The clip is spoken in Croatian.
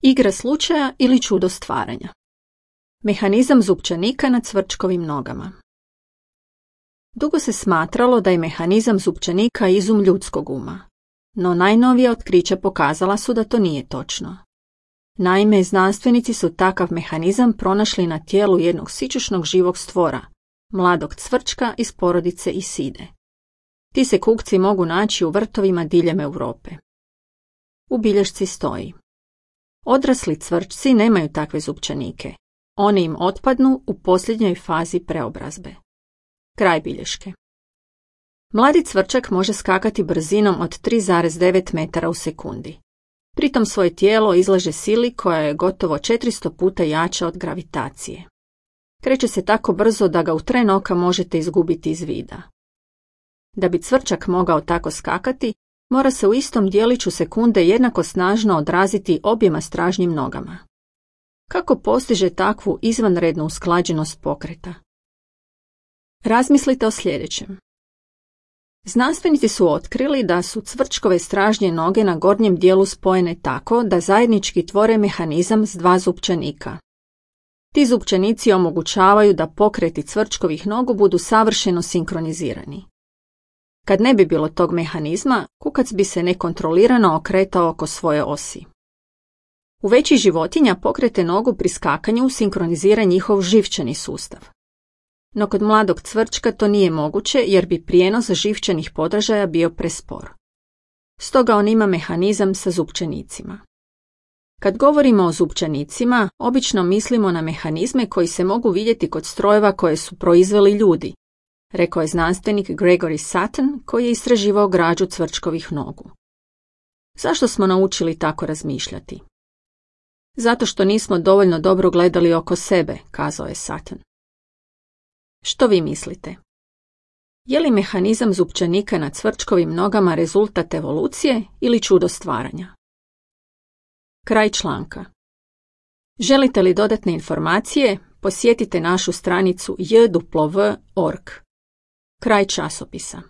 Igra slučaja ili čudo stvaranja. Mehanizam zupčanika na cvrčkovim nogama. Dugo se smatralo da je mehanizam zupčanika izum ljudskog uma, no najnovija otkrića pokazala su da to nije točno. Naime, znanstvenici su takav mehanizam pronašli na tijelu jednog sićušnog živog stvora, mladog cvrčka iz porodice Iside. Ti se kukci mogu naći u vrtovima diljem Europe. U bilješci stoji: odrasli cvrčci nemaju takve zupčanike. Oni im otpadnu u posljednjoj fazi preobrazbe. Kraj bilješke. Mladi cvrčak može skakati brzinom od 3,9 metara u sekundi. Pritom svoje tijelo izlaže sili koja je gotovo 400 puta jača od gravitacije. Kreće se tako brzo da ga u tren oka možete izgubiti iz vida. Da bi cvrčak mogao tako skakati, mora se u istom dijeliću sekunde jednako snažno odraziti objema stražnjim nogama. Kako postiže takvu izvanrednu usklađenost pokreta? Razmislite o sljedećem. Znanstvenici su otkrili da su cvrčkove stražnje noge na gornjem dijelu spojene tako da zajednički tvore mehanizam s dva zupčanika. Ti zupčanici omogućavaju da pokreti cvrčkovih nogu budu savršeno sinkronizirani. Kad ne bi bilo tog mehanizma, kukac bi se nekontrolirano okretao oko svoje osi. U većih životinja pokrete nogu pri skakanju sinkronizira njihov živčani sustav. No kod mladog cvrčka to nije moguće jer bi prijenos živčanih podražaja bio prespor. Stoga on ima mehanizam sa zupčanicima. Kad govorimo o zupčanicima, obično mislimo na mehanizme koji se mogu vidjeti kod strojeva koje su proizveli ljudi, rekao je znanstvenik Gregory Sutton koji je istraživao građu cvrčkovih nogu. Zašto smo naučili tako razmišljati? Zato što nismo dovoljno dobro gledali oko sebe, kazao je Sutton. Što vi mislite? Je li mehanizam zupčanika na cvrčkovim nogama rezultat evolucije ili čudo stvaranja? Kraj članka. Želite li dodatne informacije? Posjetite našu stranicu jw.org. Kraj časopisa.